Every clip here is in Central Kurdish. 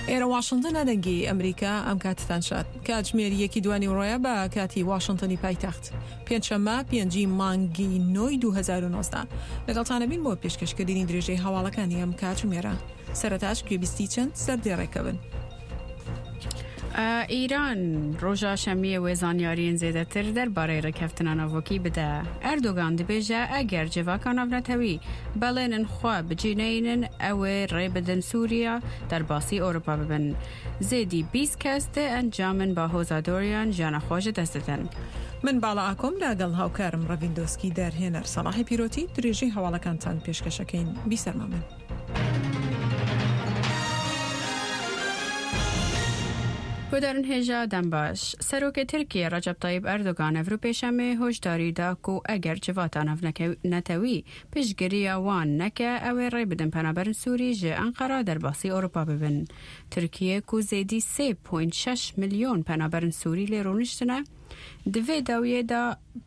ئێرە واشنتنە دەنگی ئەمریکا ئەم کاتتان شاد کاتژمێر یەکی دوانی ڕۆیە بە کاتی واشنتنی پایتەخت پێنجشەممە پێنجی مانگی نۆی 2019 لەگەڵتانە بین بۆ پێشکەشکردنی درێژەی هەواڵەکانی ئەم کاتژمێرە سەرەتاش گوێبیستی چەند سەردێڕێکە بن. ئیران ڕۆژا شەممیە وێ زانیاریێن زێدەتر دەربارەی ڕێکەفتنا ناڤۆکی بدە. ئەردۆگان دبێژە ئەگەر جڤاکا ناڤنەتەوی بەڵێنن خوە بجی نەینن ئەوێ ڕێ بدن سووریا دەرباسی ئۆروپا ببن. زێدی 20 کەس دە ئەنجامن باهۆزا دۆریان ژیانا خوە ژ دەست ددەن. من باڵا ئاکۆم لە گەڵ هاوکارم ڕەڤین دۆسکی دەرهێنەر سەڵاحی پیرۆتی درێژەی هەواڵەکانتان پێشکەشەکەین بیسەرمان بن. گۆدارن هێژا دەمباش. سەرۆکێ ترکیە رەجەب تەیب ئەردۆگان ئەڤرو پێشەمێ هۆشداری دا کو ئەگەر جڤاتا نەتەوی پشتگرییا وان نەکە ئەوێ ڕێ بدن پەنابەرن سووری ژ ئەنقەرا دەرباسی ئۆروپا ببن. ترکیە کو زێدی 3.6 ملیۆن پەنابەرن سووری لێ رونشتنە di vê dawiyê de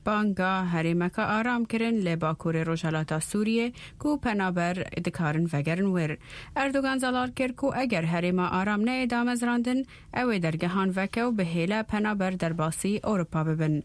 banga herêmeka aram kirin li bakurê rojhilata Sûriyê ku penaber dikarin vegerin wir. Erdogan zelal kir ku eger herêma aram neyê damezrandin ew ê dergehan veke û bihêle penaber derbasî Ewropa bibin.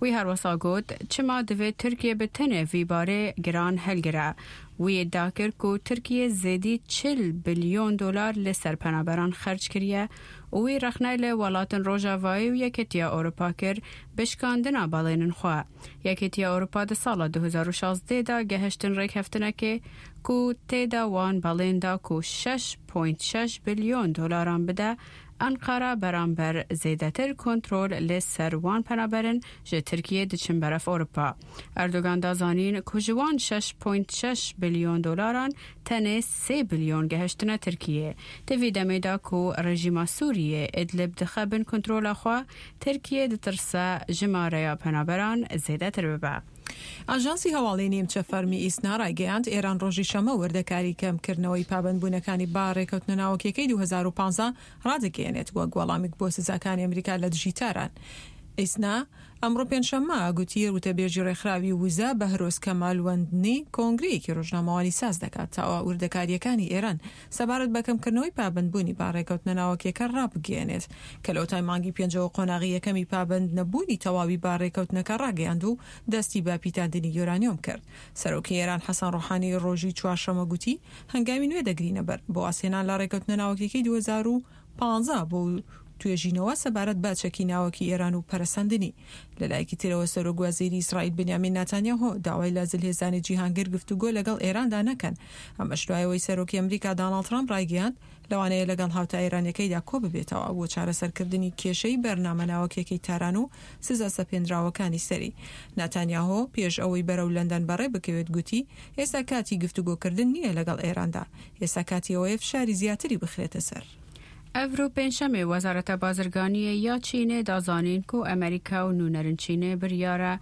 Wî herwisa got, Çima divê Tirkiye bi tenê vî barê giran hilgire? Wî îdia kir ku Tirkiye zêdî 40 bilyon dolar li ser penaberan xerc kiriye û wî rexne li welatên Rojavayê û Yekîtiya Ewropa kir bi şikandina balênên xwe. Yekîtiya Ewropa di sala 2016 de gehiştin rêkeftinekê ku tê de wan balên da ku 6.6 bilyon dolaran bide Enqera beramber zêdetir kontrol li ser wan penaberin ji Tirkiyê diçin berev Ewropa. Erdogan da zanîn ku ji wan 6.6 bilyon dolaran tenê 3 bilyon gehiştine Tirkiyê. Di vî demê de ku rejîma Sûriyê Idlib dixe bin kontrola xwe, Tirkiye ditirse jimareya penaberan zêdetir bibe. ئاژانسی هەواڵی نیمچە فەرمی ئیسنا ڕایگەیاند، ئێران ڕۆژی شەممە وردەکاری کەمکردنەوەی پابەندبوونەکانی بە ڕێکەوتنە ناوەکیەکەی 2015 ڕادەگەیەنێت وەک وەڵامێک بۆ سزاکانی ئەمریکا لە دژی تاران. ئیسنا ئەمڕۆ پێنجشەممە گوتی وتەبێژی ڕێکخراوی وزە بەهرۆز کەمالوەندنی کۆنگرەیەکی ڕۆژنامەوانی ساز دەکات تا وردەکارییەکانی ئێران سەبارەت بە کەمکردنەوەی پابەندبوونی بە ڕێکەوتنە ناوەکیەکە ڕابگەیەنێت کە لەوەتای مانگی پێنجەوە قۆناغی یەکەمی پابەند نەبوونی تەواوی بە ڕێکەوتنەکە ڕاگەیاند و دەستی بە پیتاندنی یۆرانیۆم کرد. سەرۆکی ئێران حەسەن ڕۆحانی ڕۆژی چوارشەممە گوتی هەنگاوی نوێ دەگرینە بەر بۆ وازهێنان لە ڕێکەوتنە ناوەکیەکەی 2015 بۆ توێژینەوە سەبارەت بە چەکی ناوەکی ئێران و پەرەسەندنی. لە لایەکی ترەوە سەرۆک وەزیری ئیسرائیل بنیامین ناتانیاهۆ داوای لە زلهێزانی جیهان کرد گفتوگۆ لەگەڵ ئێراندا نەکەن، ئەمەش دوای ئەوەی سەرۆکی ئەمریکا داناڵد ترامپ ڕایگەیاند لەوانەیە لەگەڵ هاوتا ئێرانیەکەیدا کۆببێتەوە بۆ چارەسەرکردنی کێشەی بەرنامە ناوەکیەکەی تاران و سزا سەپێنراوەکانی سەری. ناتانیاهۆ پێش ئەوەی بەرەو لەندەن بەڕێ بکەوێت گوتی ئێستا کاتی گفتوگۆکردن نییە لەگەڵ ئێراندا، ئێستا کاتی ئەوەیە فشاری زیاتری بخرێتە سەر. ئەڤرۆ پێنجشەمێ وەزارەتە بازرگانییە یا چینێ دا زانین کو ئەمریکا و نوونەرن چینێ بریارە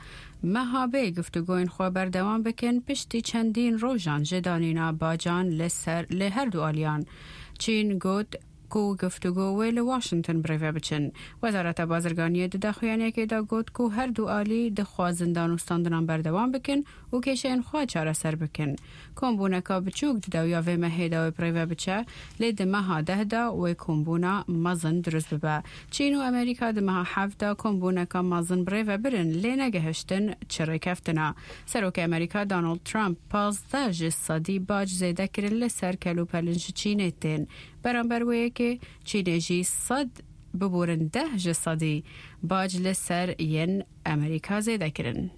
مەها بێ گفتوگۆین خوە بەردەوام بکن پشتی چەندین ڕۆژان ژ دانینا باجان لە سەر لە هەردوو ئالیان. چین گوت کو گفتوگۆ وێ لە واشنتن برێڤە بچن. وەزارەتە بازرگانییە di daxuyaniyekê de got ku her du alî dixwazin danûstandinan berdewam bikin û kêşeyên xwe çareser bikin. Kombûneka biçûk di dawiya vê mehê de wê birêve biçe, lê di meha deh de wê kombûna mezin dirust bibe. Çîn û Amerîka di meha heft de kombûneka mezin birêve birin lê negihiştin çi rêkeftina. Serokê Amerîka Donald Trump 15 ji sedî bac zêde kirin li ser kelûpelên ji Çînê tên. Beramber wê yekê Çînê jî sed biborin deh ji sedî bac li ser yên Amerîka zêde kirin.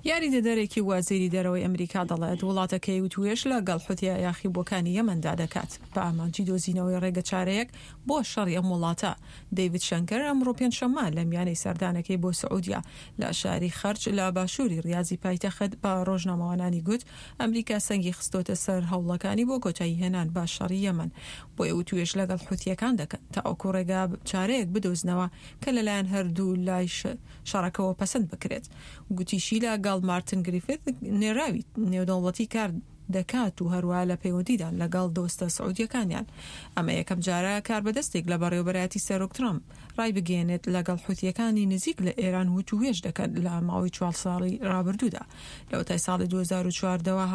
یاریدەدەرێکی وەزیری دەرەوەی ئەمریکا دەڵێت، وڵاتەکەی وتووێژ لەگەڵ حوتییە یاخیبووەکانی یەمەندا دەکات بە ئامانجی دۆزینەوەی ڕێگەچارەیەک بۆ شەڕی ئەم وڵاتە. دەیڤد شەنکەر ئەمڕۆ پێنجشەممە لە میانەی سەردانەکەی بۆ سعودیە لە شاری خەرج لە باشووری ڕیازی پایتەخت بە ڕۆژنامەوانانی گوت، ئەمریکا سەنگی خستۆتە سەر هەوڵەکانی بۆ کۆتاییهێنان بە شەڕی یەمەن، بۆیە وتووێژ لەگەڵ حوتییەکان دەکەن تاوەکو ڕێگا چارەیەک بدۆزنەوە کە لەلایەن هەردوو لای شەڕەکەوە پەسەند بکرێت. گوتیشی لە گەڵ مارتن گریفیث نێراوی نێودەوڵەتی کار دەکات و هەروەها لە پەیوەندیدان لەگەڵ دۆستە سعودیەکانیان. ئەمە یەکەم جارە کاربەدەستێک لە بەڕێوەبەرایەتی سەرۆک ترەمپ ڕایبگەیەنێت لەگەڵ حوتیەکانی نزیک لە ئێران وتووێژ دەکەن لە ماوەی چوار ساڵی ڕابردوودا. لەوەتای ساڵی 2014 ەوە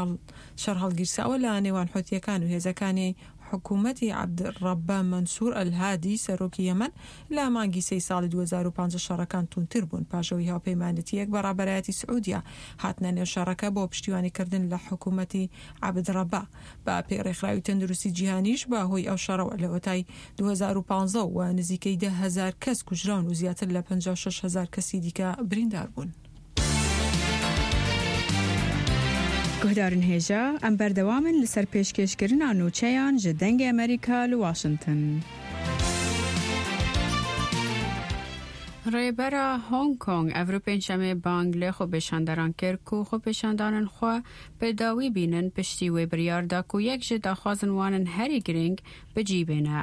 شەڕ هەڵگیرساوە لە نێوان حوتیەکان و هێزەکانی. حکوومەتی عەبد ڕەبە مەنسوور ئەلهادی سەرۆکی یەمەن لە مانگی سێی ساڵی 2015 شەڕەکان توندتر بوون پاش ئەوەی هاوپەیمانێتییەک بە ڕابەرایەتی سعودیە هاتنە نێو شەڕەکە بۆ پشتیوانیکردن لە حکوومەتی عەبد ڕەبە. بە پێی ڕێکخراوی تەندروستی جیهانیش بە هۆی ئەو شەڕەوە لەوەتای 2015 وە نزیکەی 10,000 کەس کوژراون و زیاتر لە 56,000 کەسی دیکە بریندار بوون. گوهدارن هێژا، ئەم بەردەوامن لەسەر پێشکێشکردنا نوچەیان ژ دەنگێ ئەمریکا لە واشنتن. ڕێبەرا هۆنگ کۆنگ ئەڤرو پێنجشەمێ بانگ لە خۆپێشاندەران کرد کو خۆپێشاندانن خوە بە داوی بینن پشتی وێ بریار دا کو یەک ژ داخوازن وانن هەری گرینگ بجی بێنە.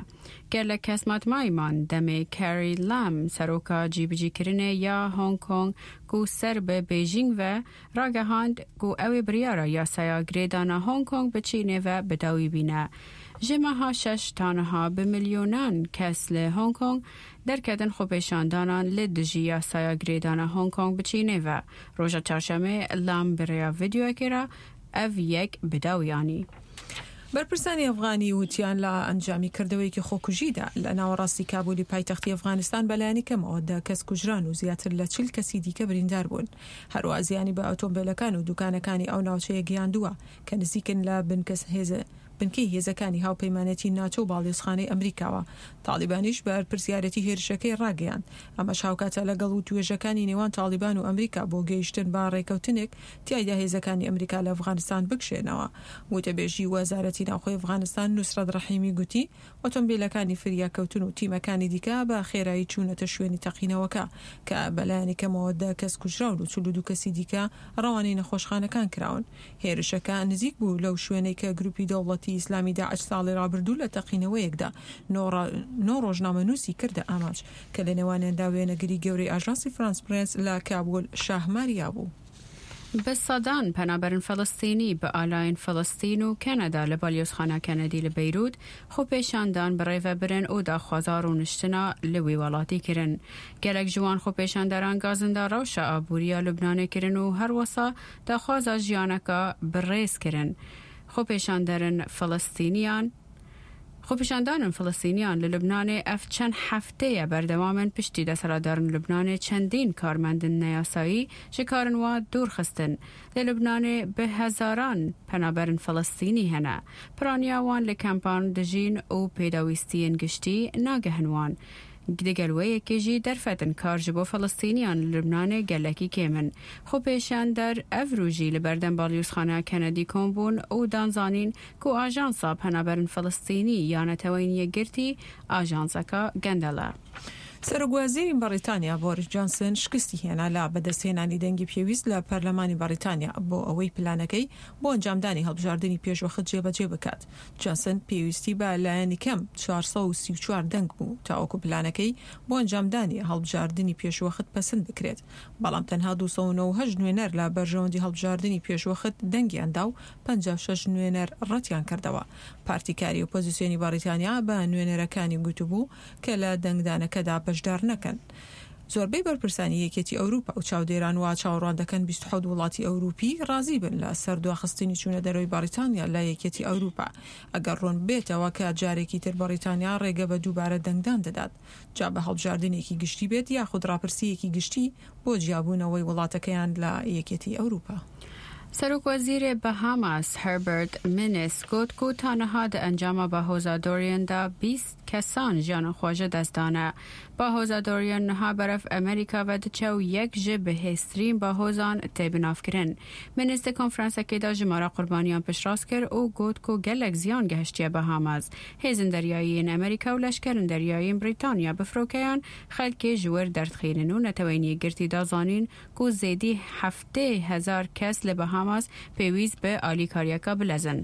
گەلەک کەس ماتمایی مان دەمێ کاری لام سەرۆکا جیبجیکردنێ یا هۆنگ کۆنگ کو سەر بە بێژینگ ڤە ڕاگەهاند کو ئەوێ بریارا یاسایا گرێدانا هۆنگ کۆنگ بە چینێ ڤە بداوی بینە. ژ مەها شەش تا نها بە ملیۆنان کەس لە هۆنگ کۆنگ دەرکەتن خۆپێشاندانان لە دژی یاسایا گرێدانا هۆنگ کۆنگ بە چینێ ڤە. ڕۆژا چارشەمێ لام بە رێیا ڤیدیۆیەکێ را ئەڤ یەک بداوی ئانی. بەرپرسانی ئەفغانی وتیان لە ئەنجامی کردەوەیەکی خۆکوژیدا لە ناوەڕاستی کابولی پایتەختی ئەفغانستان بەلایەنی کەمەوە دە کەس کوژران و زیاتر لە 40 کەسی دیکە بریندار بوون. هەروەها زیانی بە ئۆتۆمبێلەکان و دوکانەکانی ئەو ناوچەیە گەیاندووە کە نزیکن لە بنکەی هێزەکانی هاوپەیمانێتی ناتۆ و باڵیۆزخانەی ئەمریکاوە. تاڵیبانیش بەرپرسیارێتی هێرشەکەی ڕاگەیاند. ئەمەش هاوکاتە لەگەڵ وتوێژەکانی نێوان تاڵیبان و ئەمریکا بۆ گەیشتن بە ڕێکەوتنێک تیایدا هێزەکانی ئەمریکا لە ئەفغانستان بکشێنەوە. وتەبێژی وەزارەتی ناوخۆی ئەفغانستان نوسرەت ڕەحیمی گوتی، ئۆتۆمبیلەکانی فریاکەوتن و تیمەکانی دیکە بە خێرایی چوونەتە شوێنی تەقینەوەکە کە بەلایەنی کەمەوە دە کەس کوژراون و 42 کەسی دیکە ڕەوانەی نەخۆشخانەکان کراون. هێرشەکە نزیک بوو لەو شوێنەی کە گروپی دەوڵەتی ئیسلامی داعش ساڵی ڕابردوو لە تەقینەوەیەکدا نۆ ڕۆژنامەنووسی کردە ئامانج کە لە نێوانیاندا وێنەگری گەورەی ئاژانسی فرانس پرێس لە کابول شاه ماریا بوو. بە سەدان پەنابەرن فەلەستینی بە ئالاین فەلەستین و کەنەدا لە بالیۆزخانە کەنەدی لە بەیروت خۆپێشاندان بەڕێڤە برن و داخوازا ڕوونشتنا لە وی وەڵاتی کرن. گەلەک ژ وان خۆپێشاندەران گازندا ڕەوشا ئابووریا لوبنانێ کرن و هەروەسا داخوازا ژیانەکا بە ڕێز کرن. خۆپێشاندەرن فەلەستینیان خۆپیشاندانن فلستینیان لە لوبنانێ ئەف چەند هەفتەیە بەردەوامن پشتی دەسەڵاتدارن لوبنانێ چەندین کارمەندن نەیاسایی ژ کارن وا دوور خستن. لە لوبنانێ بە هەزاران پەنابەرن فلستینی هەنە. پرانیا وان لە کەمپان دژین و پێداویستیێن گشتی ناگەهن وان. دگەل وێ یەکێ ژی دەرفەتن کار ژ بۆ فلستینیان لە لوبنانێ گەلەکی کێمن. خۆپێشاندەر ئەڤرو ژی لە بەردەم باڵیوزخانە کەنەدی کۆم بوون و دان زانین کو ئاژانسا پەنابەرن فلستینی یا نەتەوەین یەکگرتی ئاژانسەکا گەندەڵە. سەرۆکوەزیری بەڕیتانیا بۆریس جانسن شکستی هێنا لە بەدەستهێنانی دەنگی پێویست لە پەرلەمانی بەڕیتانیا بۆ ئەوەی پلانەکەی بۆ ئەنجامدانی هەڵبژاردنی پێشوەخت جێبەجێ بکات. جانسن پێویستی بە لایەنی کەم 434 دەنگ بوو تاوەکو پلانەکەی بۆ ئەنجامدانی هەڵبژاردنی پێشوەخت پەسند بکرێت، بەڵام تەنها 298 نوێنەر لە بەرژەوەندی هەڵبژاردنی پێشوەخت دەنگیان دا و 56 نوێنەر ڕەتیان کردەوە. پارتی کاری ئۆپۆزیسیۆنی بەڕیتانیا بە نوێنەرەکانی گوتبوو کە لە دەنگدانەکەدا بەشدار نەکەن. زۆربەی بەرپرسانی یەکێتی ئەوروپا و چاودێران وا چاوەڕوان دەکەن 27 وڵاتی ئەوروپی ڕازی بن لە سەر دواخستنی چوونە دەرەوەی بەڕیتانیا لە یەکێتی ئەوروپا ئەگەر ڕوون ببێتەوە کە جارێکی تر بەڕیتانیا ڕێگە بە دووبارە دەنگدان دەدات جا بە هەڵبژاردنێکی گشتی بێت یاخود ڕاپرسییەکی گشتی بۆ جیابوونەوەی وڵاتەکەیان لە یەکێتی ئەوروپا. سەرۆک وەزیرێ بەهاماس هەربەرت مینس گوت کو تا نها دە ئەنجاما باهۆزا دۆریەن دا 20 کەسان ژیانا خوە ژە دەست دانە. باهۆزا دۆریەن نها بەرەف ئەمریکا ڤە دچە و یەک ژ بهێزترین باهۆزان تێ بناڤکرن. مینس دە کۆنفرانسەکێ دا ژمارا قوربانیان پشتڕاست کرد و گوت کو گەلەک زیان گەهشتیە بەهاماس. هێزن دەریاییێن ئەمریکا و لەشکەرن دەریاییێن بریتانیا بە فرۆکەیان خەلکێ ژ ور دەردخینن و نەتەوەین یەکگرتی دا زانین کو زێدی 70,000 کەس لە بەهاماس پێویست بە ئالیکاریەکا بلەزن.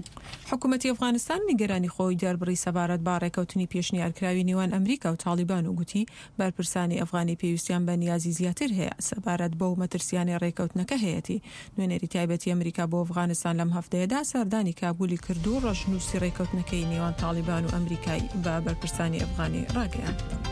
حکومەتی ئەفغانستان نیگەرانی خۆی دەربڕی سەبارەت بە ڕێکەوتنی پێشنیارکراوی نێوان ئەمریکا و تاڵیبان و گوتی بەرپرسانی ئەفغانی پێویستیان بە نیازی زیاتر هەیە سەبارەت بەو مەترسیانەی ڕێکەوتنەکە هەیەتی. نوێنەری تایبەتی ئەمریکا بۆ ئەفغانستان لەم هەفتەیەدا سەردانی کابولی کرد و ڕەشنووسی ڕێکەوتنەکەی نێوان تاڵیبان و ئەمریکای بە بەرپرسانی ئەفغانی ڕاگەیاند.